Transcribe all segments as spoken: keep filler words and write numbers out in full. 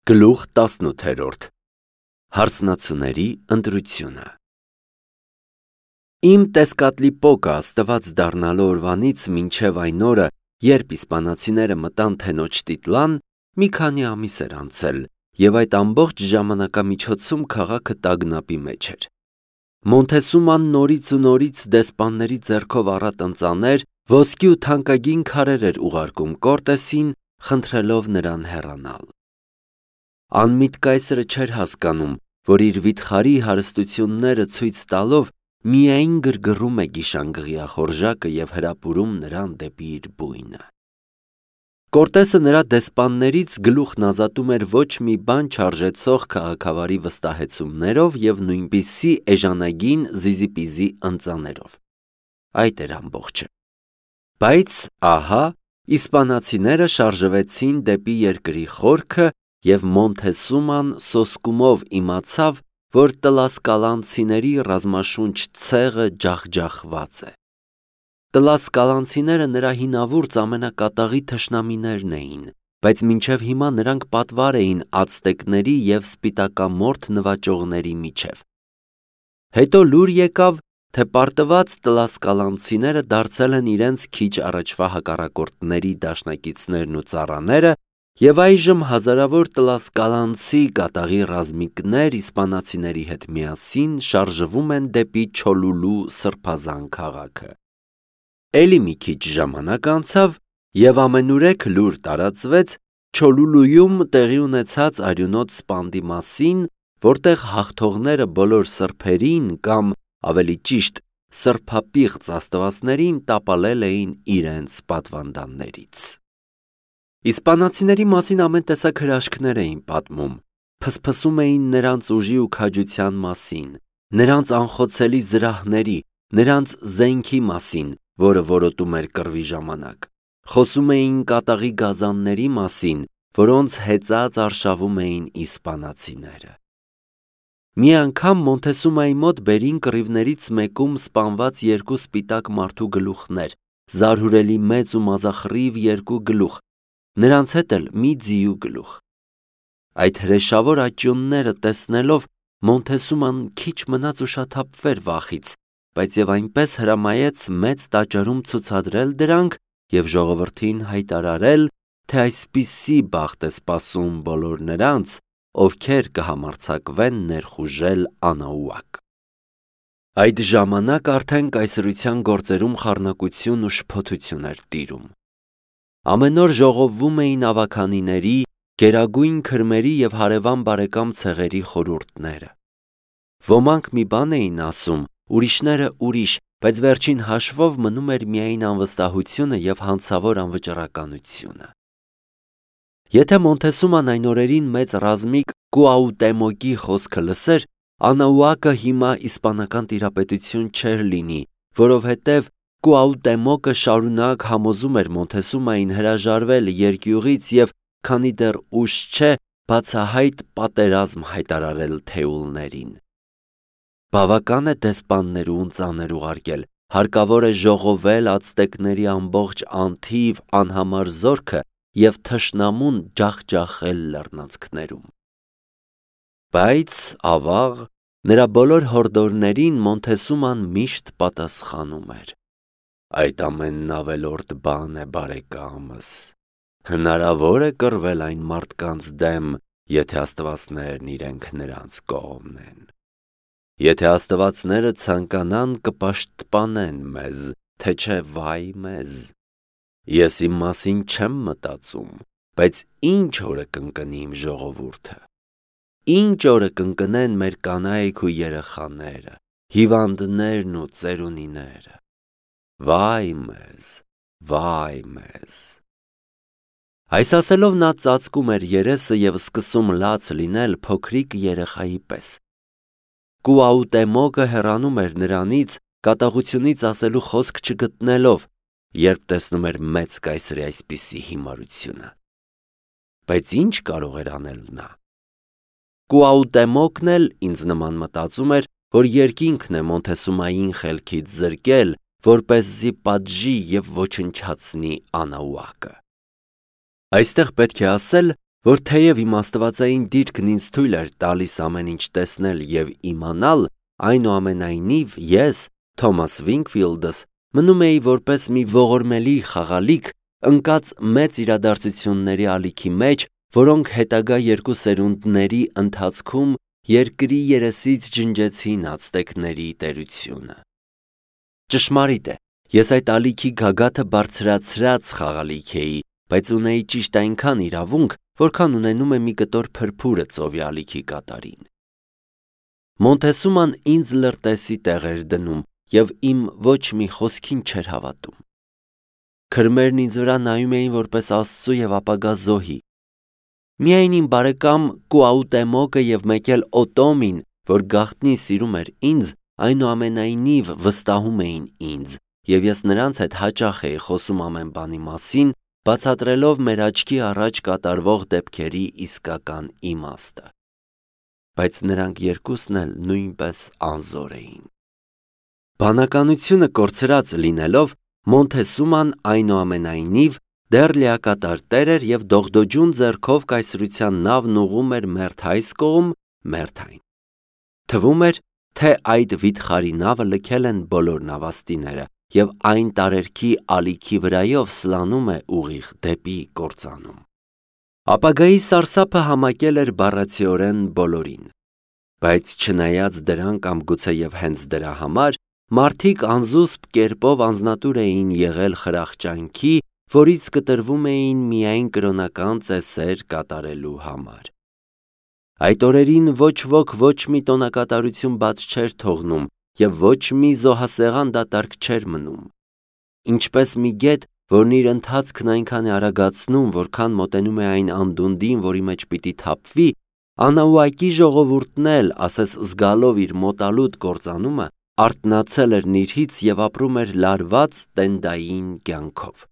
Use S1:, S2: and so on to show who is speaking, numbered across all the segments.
S1: Գլուխ տասնութերորդ Հարսնացուների ընտրությունը Իմ տեսկատլիպոկը աստված դառնալու օրվանից մինչև այն օրը, երբ իսպանացիները մտան թենոջ տիտլան, մի քանի ամիս էր անցել, և այդ ամբողջ ժամանակամիջոցում քաղաքը տագնապի մեջ էր։ Մոնթեսուման նորից ու նորից դեսպանների ձեռքով առատ ընծաներ, ոսկի ու թանկագին քարեր էր ուղարկում Կորտեսին, խնդրելով նրան հեռանալ։ Անմիտ կայսրը չէր հասկանում, որ իր վիթխարի հարստությունները ցույց տալով միայն գրգռում է գիշանգղյա խորժակը և հրապուրում նրան դեպի իր բույնը։ Կորտեսը նրա դեսպաններից գլուխն ազատում էր ոչ մի բան չարժեցող քաղաքավարի վստահեցումներով և նույնպիսի էժանագին զիզիպիզի ընծաներով։ Այդ էր ամբողջը։ Բայց ահա իսպանացիները շարժվեցին դեպի երկրի խորքը, և Մոնթեսուման սոսկումով իմացավ, որ տլասկալանցիների ռազմաշունչ ցեղը ջախջախված է։ Տլասկալանցիները նրա հինավուրց ամենակատաղի թշնամիներն էին, բայց մինչև հիմա նրանք պատվար էին ացտեկների և սպիտակամորթ նվաճողների միջև։ Հետո լուր եկավ, թե պարտված տլասկալանցիները դարձել են իրենց քիչ առաջվա հակառակորդների դաշնակիցներն ու ծառաները, և այժմ հազարավոր տլասկալանցի կատաղի ռազմիկներ իսպանացիների հետ միասին շարժվում են դեպի Չոլուլու սրբազան քաղաքը։ Էլի մի քիչ ժամանակ անցավ, և ամենուրեք լուր տարածվեց Չոլուլույում տեղի ունեցած արյունոտ սպանդի մասին, որտեղ հաղթողները բոլոր սրբերին կամ, ավելի ճիշտ, սրբապիղծ աստվածներին տապալել էին իրենց պատվանդաններից։ Իսպանացիների մասին ամեն տեսակ հրաշքներ էին պատմում, փսփսում էին նրանց ուժի ու քաջության մասին, նրանց անխոցելի զրահների, նրանց զենքի մասին, որը որոտում էր կռվի ժամանակ, խոսում էին կատաղի գազանների մասին, որոնց հեծած արշավում էին իսպանացիները։ Մի անգամ Մոնթեսումայի մոտ բերին կռիվներից մեկում սպանված երկու սպիտակ մարդու գլուխներ, զարհուրելի մեծ ու մազախռիվ երկու գլուխ, նրանց հետ էլ մի ձիու գլուխ։ Այդ հրեշավոր աճյունները տեսնելով Մոնթեսուման քիչ մնաց ուշաթափվեր վախից, բայց և այնպես հրամայեց մեծ տաճարում ցուցադրել դրանք և ժողովրդին հայտարարել, թե այսպիսի բախտ է սպասում բոլոր նրանց, ովքեր կհամարձակվեն ներխուժել Անաուակ։ Այդ ժամանակ արդեն կայսրության գործերում խառնակություն ու շփոթություն էր տիրում։ Ամեն օր ժողովվում էին ավագանիների, գերագույն քրմերի և հարևան բարեկամ ցեղերի խորհուրդները։ Ոմանք մի բան էին ասում, ուրիշները ուրիշ, բայց վերջին հաշվով մնում էր միայն անվստահությունը և հանցավոր անվճռականությունը։ Եթե Մոնթեսուման այն օրերին մեծ ռազմիկ Կուաուտեմոկի խոսքը լսեր, Անաուակը հիմա իսպանական տիրապետություն չէր լինի, որովհետև Կուաուտեմոկը շարունակ համոզում էր Մոնթեսումային հրաժարվել երկյուղից և, քանի դեռ ուշ չէ, բացահայտ պատերազմ հայտարարել թեուլներին։ Բավական է դեսպաններ ու ընծաներ ուղարկել, հարկավոր է ժողովել ացտեկների ամբողջ անթիվ անհամար զորքը և թշնամուն ջախջախել լեռնանցքներում։ Բայց, ավաղ, նրա բոլոր հորդորներին Մոնթեսուման միշտ պատասխանում էր. «Այդ ամենն ավելորդ բան է, բարեկամս, հնարավոր է կռվել այն մարդկանց դեմ, եթե աստվածներն իրենք նրանց կողմն են։ Եթե աստվածները ցանկանան, կպաշտպանեն մեզ, թե չէ վայ մեզ։ Ես իմ մասին չեմ մտածում, բայց ինչ օրը կընկնի իմ ժողովուրդը։ Ինչ օրը կընկնեն մեր կանայք ու երեխաները, հիվանդներն ու ծերունիները։ Վայ մեզ, վայ մեզ»։ Այս ասելով նա ծածկում էր երեսը և սկսում լաց լինել փոքրիկ երեխայի պես։ Կուաուտեմոկը հեռանում էր նրանից, կատաղությունից ասելու խոսք չգտնելով, երբ տեսնում էր մեծ կայսրի այսպիսի հիմարությունը։ Բայց ինչ կարող էր անել նա։ Կուաուտեմոկն էլ ինձ նման մտածում էր, որ երկինքն է Մոնթեսումային խելքից զրկել, որպեսզի պատժի և ոչնչացնի Անաուակը։ Այստեղ պետք է ասել, որ թեև իմ աստվածային դիրքն ինձ թույլ էր տալիս ամեն ինչ տեսնել և իմանալ, այնուամենայնիվ ես, Թոմաս Վինքֆիլդս, մնում էի որպես մի ողորմելի խաղալիք ընկած մեծ իրադարձությունների ալիքի մեջ, որոնք հետագա երկու սերունդների ընթացքում երկրի երեսից ջնջեցին ացտեկների տերությունը։ Ճշմարիտ է, ես այդ ալիքի գագաթը բարձրացրած խաղալիք էի, բայց ունեի ճիշտ այնքան իրավունք, որքան ունենում է մի կտոր փրփուրը ծովի ալիքի կատարին։ Մոնտեսուման ինձ լրտեսի տեղ էր դնում և իմ ոչ մի խոսքին չէր հավատում։ Քրմերն ինձ վրա նայում էին որպես Աստծու և ապագա զոհի։ Միայն իմ բարեկամ Կուաուտեմոկը և մեկ էլ Օտոմին, որ գաղտնի սիրում էր ինձ, այնուամենայնիվ վստահում էին ինձ, և ես նրանց հետ հաճախ էի խոսում ամեն բանի մասին, բացատրելով մեր աչքի առաջ կատարվող դեպքերի իսկական իմաստը։ Բայց նրանք երկուսն էլ նույնպես անզոր էին։ Բանականությունը կորցրած լինելով, Մոնտեսուման այնուամենայնիվ դեռ լիակատար տեր էր և դողդոջուն ձեռքով կայսրության նավն ուղղում էր մերթ այս կողմ, մերթ այն։ Թվում էր, թե այդ վիթխարի նավը լքել են բոլոր նավաստիները և այն տարերքի ալիքի վրայով սլանում է ուղիղ դեպի կործանում։ Ապագայի սարսափը համակել էր բառացիորեն բոլորին։ Բայց չնայած դրան կամ գուցեև հենց դրա համար, մարդիկ անզուսպ կերպով անձնատուր էին եղել խրախճանքի, որից կտրվում էին միայն կրոնական ծեսեր կատարելու համար։ Այդ օրերին ոչ ոք ոչ մի տոնակատարություն բաց չէր թողնում և ոչ մի զոհասեղան դատարկ չէր մնում։ Ինչպես մի գետ, որն իր ընթացքն այնքան է արագացնում, որքան մոտենում է այն անդունդին, որի մեջ պիտի թափվի, Անաուակի ժողովուրդն էլ, ասես զգալով իր մոտալուտ կործանումը, արթնացել էր նիրհից և ապրում էր լարված տենդային կյանքով։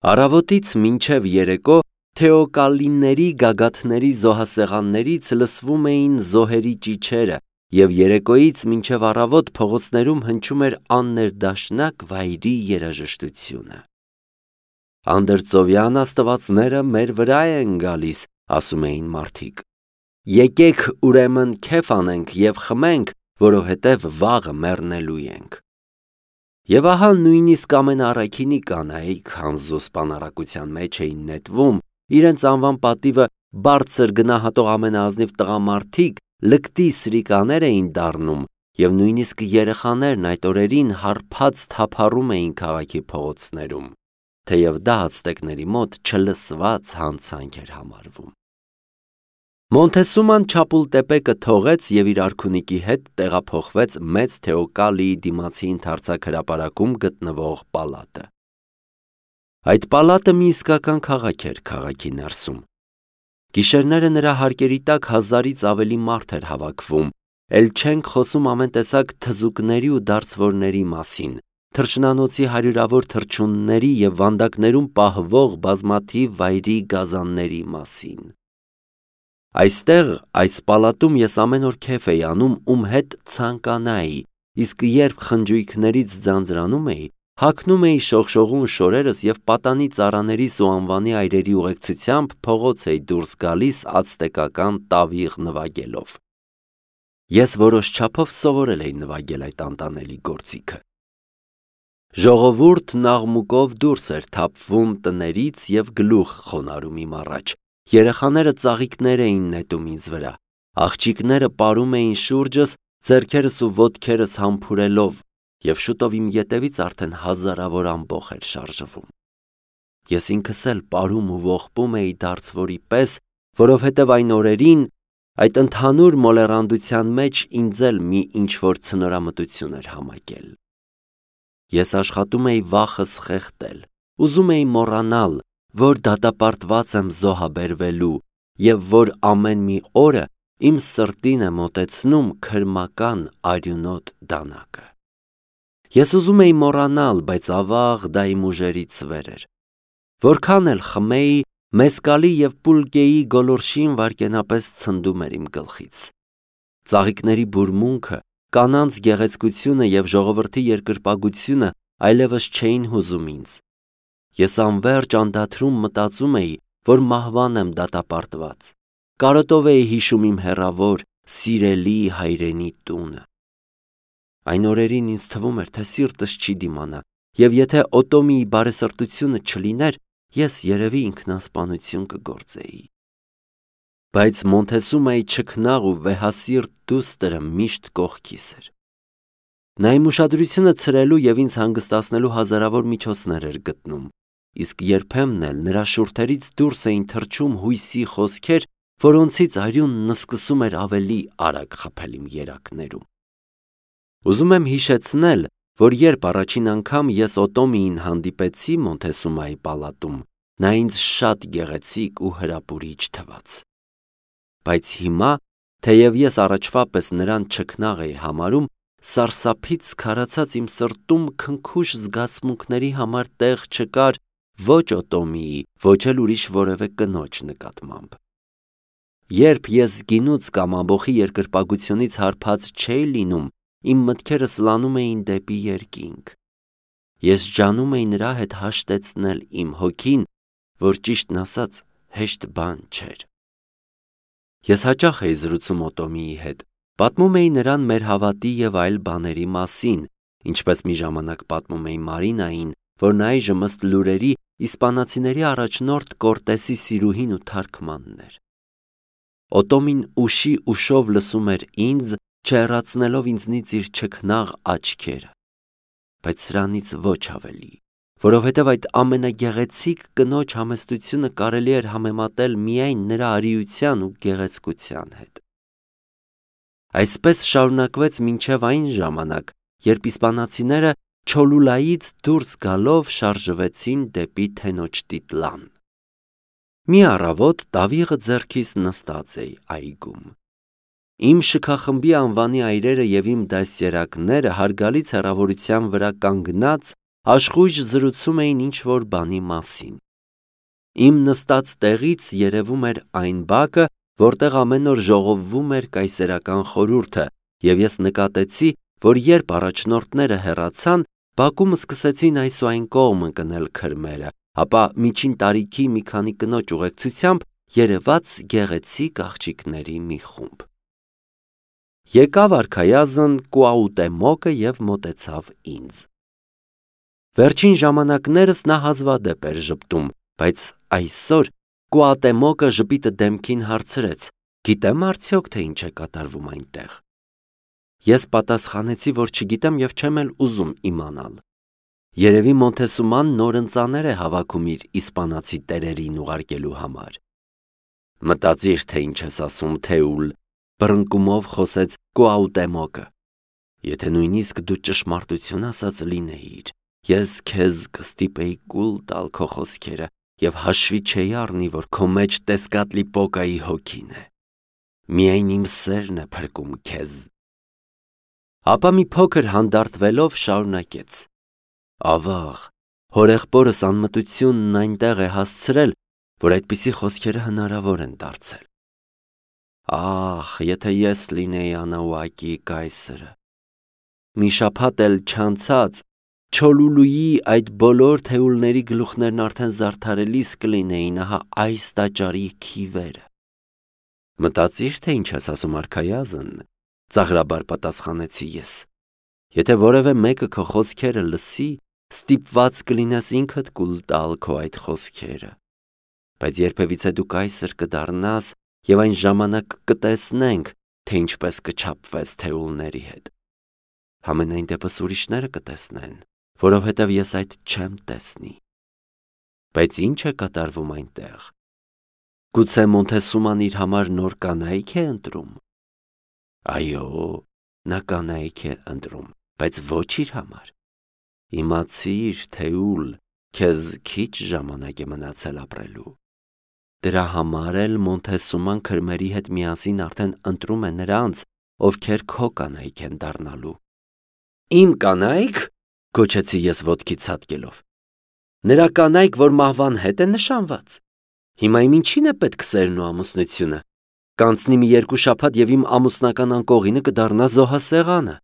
S1: Առավոտից մինչև երեկո թեոկալլիների գագաթների զոհասեղաններից լսվում էին զոհերի ճիչերը, և երեկոյից մինչև առավոտ փողոցներում հնչում էր աններդաշնակ վայրի երաժշտությունը։ Անդրծովյան աստվածները մեր վրա են գալիս, ասում էին մարդիկ։ Եկեք ուրեմն քեֆ անենք և խմենք, որովհետև վաղը մեռնելու ենք։ Եվ ահա նույնիսկ ամենաառաքինի կանայք անզուսպ անառակության մեջ էին նետվում, իրենց անվան պատիվը բարձր գնահատող ամենաազնիվ տղամարդիկ լկտի սրիկաներ էին դառնում, և նույնիսկ երեխաներն այդ օրերին հարբած թափառում էին քաղաքի փողոցներում, թեև դա ացտեկների մոտ չլսված հանցանք էր համարվում։ Մոնտեսուման Չապուլտեպեկը թողեց և իր արքունիքի հետ տեղափոխվեց մեծ Թեոկալիի դիմացի ընդարձակ հրապարակում գտնվող պալատը։ Այդ պալատը մի իսկական քաղաք էր քաղաքի ներսում։ Գիշերները նրա հարկերի տակ հազարից ավելի մարդ էր հավաքվում, էլ չենք խոսում ամեն տեսակ թզուկների ու դարձվորների մասին, թռչնանոցի հարյուրավոր թռչունների և վանդակներում պահվող բազմաթիվ վայրի գազանների մասին։ Այստեղ, այս պալատում ես ամեն օր քեֆ էի անում, ում հետ ցանկանայի, իսկ երբ խնջույքներից ձանձրանում էի, հագնում էի շողշողուն շորերս և պատանի ծառաներիս ու անվանի այրերի ուղեկցությամբ փողոց էի դուրս գալիս ացտեկական տավիղ նվագելով։ Ես որոշ չափով սովորել էի նվագել այդ անտանելի գործիքը։ Ժողովուրդն աղմուկով դուրս էր թափվում տներից և գլուխ խոնարհում իմ առաջ, երեխաները ծաղիկներ էին նետում ինձ վրա, աղջիկները պարում էին շուրջս, ձեռքերս ու ոտքերս համբուրելով, և շուտով իմ ետևից արդեն հազարավոր ամբոխ էր շարժվում։ Ես ինքս էլ պարում ու ողբում էի դարձվորի պես, որովհետև այն օրերին այդ ընդհանուր մոլեռանդության մեջ ինձ էլ մի ինչ-որ ցնորամտություն էր համակել։ Ես աշխատում էի վախս խեղդել, ուզում էի մոռանալ, որ դատապարտված եմ զոհաբերվելու և որ ամեն մի օրը իմ սրտին է մոտեցնում քրմական արյունոտ դանակը։ Ես ուզում էի մոռանալ, բայց ավաղ դա իմ ուժերից վեր էր։ Որքան էլ խմեի, մեսկալի և պուլկեի գոլորշին վայրկենապես ցնդում էր իմ գլխից։ Ծաղիկների բուրմունքը, կանանց գեղեցկությունը և ժողովրդի երկրպագությունը այլևս չէին հուզում ինձ։ Ես անվերջ անդադրում մտածում էի, որ մահվան եմ դատապարտված։ Կարոտով էի հիշում իմ հեռավոր, սիրելի հայրենի տունը։ Այն օրերին ինձ թվում էր, թե սիրտս չի դիմանա, և եթե Օտոմիի բարեսրտությունը չլիներ, ես երևի ինքնասպանություն կգործեի։ Բայց Մոնթեսումայի չքնաղ ու վեհասիրտ դուստրը միշտ կողքիս էր։ Նա իմ ուշադրությունը ցրելու և ինձ հանգստացնելու հազարավոր միջոցներ էր գտնում, իսկ երբեմն էլ նրա շուրթերից դուրս էին թռչում հույսի խոսքեր, որոնցից արյունն սկսում էր ավելի արագ խփել իմ երակներում։ Ուզում եմ հիշեցնել, որ երբ առաջին անգամ ես Օտոմիին հանդիպեցի Մոնթեսումայի պալատում, նա ինձ շատ գեղեցիկ ու հրապուրիչ թվաց։ Բայց հիմա, թեև ես առաջվա պես նրան չքնաղ էի համարում, սարսափից քարացած իմ սրտում քնքուշ զգացմունքների համար տեղ չկար ոչ Օտոմիի, ոչ էլ ուրիշ որևէ կնոջ նկատմամբ։ Երբ ես գինուց կամ ամբոխի երկրպագությունից հարբած չէի լինում, իմ մտքերը սլանում էին դեպի երկինք։ Ես ջանում էի նրա հետ հաշտեցնել իմ հոգին, որ ճիշտն ասած հեշտ բան չէր։ Ես հաճախ էի զրուցում Օտոմիի հետ, պատմում էի նրան մեր հավատի և այլ բաների մասին, ինչպես մի ժամանակ պատմում էի Մարինային, որն այժմ ըստ լուրերի իսպանացիների առաջնորդ Կորտեսի սիրուհին ու թարգմանն էր։ Օտոմին ուշի ուշով լսում էր ինձ, չհեռացնելով ինձնից իր չքնաղ աչքերը, բայց սրանից ոչ ավելի, որովհետև այդ ամենագեղեցիկ կնոջ համեստությունը կարելի էր համեմատել միայն նրա արիության ու գեղեցկության հետ։ Այսպես շարունակվեց մինչև այն ժամանակ, երբ իսպանացիները Չոլուլայից դուրս գալով շարժվեցին դեպի Թենոչտիտլան։ Մի առավոտ տավիղը ձեռքիս նստած էի այգում։ Իմ շքախմբի անվանի այրերը և իմ դաստիարակները հարգալից հեռավորության վրա կանգնած աշխույժ զրուցում էին ինչ-որ բանի մասին։ Իմ նստած տեղից երևում էր այն բակը, որտեղ ամեն օր ժողովվում էր կայսերական խորհուրդը, և ես նկատեցի, որ երբ առաջնորդները հեռացան, բակում սկսեցին այս ու այն կողմ ընկնել քրմերը, ապա միջին տարիքի մի քանի կնոջ ուղեկցությամբ երևաց գեղեցիկ աղջիկների մի խումբ։ Եկավ արքայազն Կուաուտեմոկը և մոտեցավ ինձ։ Վերջին ժամանակներս նա հազվադեպ էր ժպտում, բայց այսօր Կուաուտեմոկը ժպիտը դեմքին հարցրեց. «Գիտեմ արդյոք, թե ինչ է կատարվում այնտեղ»։ Ես պատասխանեցի, որ չգիտեմ և չեմ էլ ուզում իմանալ։ Երևի Մոնթեսուման նոր ընծաներ է հավաքում իր իսպանացի տերերին ուղարկելու համար։ Մտածիր, թե ինչ ես ասում, Թեուլ, բռնկումով խոսեց Կուաուտեմոկը։ Եթե նույնիսկ դու ճշմարտություն ասած լինեիր, ես քեզ կստիպեի կուլ տալ քո խոսքերը և հաշվի չէի առնի, որ քո մեջ Տեսկատլիպոկայի հոգին է։ Միայն իմ սերն է փրկում քեզ։ Ապա մի փոքր հանդարտվելով շարունակեց. Ավաղ, հորեղբորս անմտությունն այնտեղ է հասցրել, որ այդպիսի խոսքերը հնարավոր են դարձել։ Ահ, եթե ես լինեի Անաուակի կայսրը։ Մի շաբաթ էլ չանցած Չոլուլուի այդ բոլոր թեուլների գլուխներն արդեն զարդարելիս կլինեին ահա այս տաճարի քիվերը։ Մտածիր, թե ինչ ես ասում արքայազն, ծաղրաբար պատասխանեցի ես։ Եթե որևէ մեկը քո խոսքերը լսի, ստիպված կլինես ինքդ կուլ տալ քո այդ խոսքերը։ Բայց երբևիցե դու կայսր կդառնաս և այն ժամանակ կտեսնենք, թե ինչպես կչափվես թեուլների հետ։ Համենայն դեպս ուրիշները կտեսնեն, որովհետև ես այդ չեմ տեսնի։ Բայց ինչ է կատարվում այնտեղ։ Գուցե Մոնթեսուման իր համար նոր կանայք է ընտրում։ Այո, նա կանայք է ընտրում, բայց ոչ իր համար։ Իմացիր, Թեուլ, քեզ քիչ ժամանակ է մնացել ապրելու։ Դրա համար էլ Մոնթեսուման քրմերի հետ միասին արդեն ընտրում է նրանց, ովքեր քո կանայք են դառնալու։ Իմ կանայք, գոչեցի ես ոտքի ցատկելով։ Նրա կանայք, որ մահվան հետ են նշանված։ Հիմա իմ ինչին է պետք սերն ու ամուսնությունը։ Կանցնի մի երկու շաբաթ և իմ ամուսնական անկողինը կդառնա զոհասեղանը։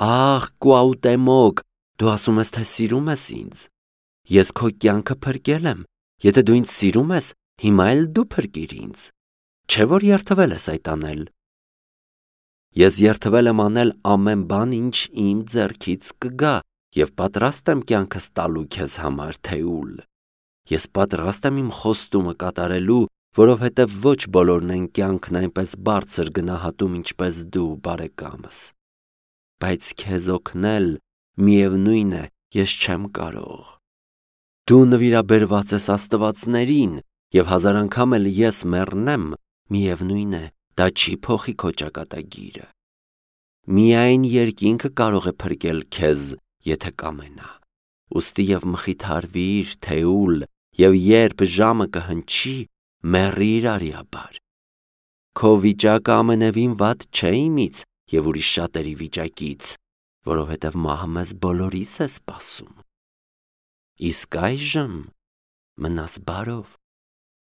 S1: Ահ, Կուաուտեմոկ, դու ասում ես, թե սիրում ես ինձ։ Ես քո կյանքը փրկել եմ։ Եթե դու ինձ սիրում ես, հիմա էլ դու փրկիր ինձ, չէ՞ որ երդվել ես այդ անել։ Ես երդվել եմ անել ամեն բան, ինչ իմ ձեռքից կգա, և պատրաստ եմ կյանքս տալու քեզ համար, Թեուլ։ Ես պատրաստ եմ իմ խոստումը կատարելու, որովհետև ոչ բոլորն են կյանքն այնպես բարձր գնահատում, ինչպես դու, բարեկամս։ Բայց քեզ օգնել, միևնույն է, ես չեմ կարող։ Դու նվիրաբերված ես աստվածներին, և հազար անգամ էլ ես մեռնեմ, միևնույն է, դա չի փոխի քո ճակատագիրը։ Միայն երկինքը կարող է փրկել քեզ, եթե կամենա։ Ուստի և մխիթարվիր, Թեուլ, և երբ ժամը կհնչի, մեռիր արիաբար։ Քո վիճակը ամենևին վատ չէ իմից և ուրիշ շատերի վիճակից, որովհետև մահը մեզ բոլորիս է սպասում։ Իսկ այժմ մնաս բարով։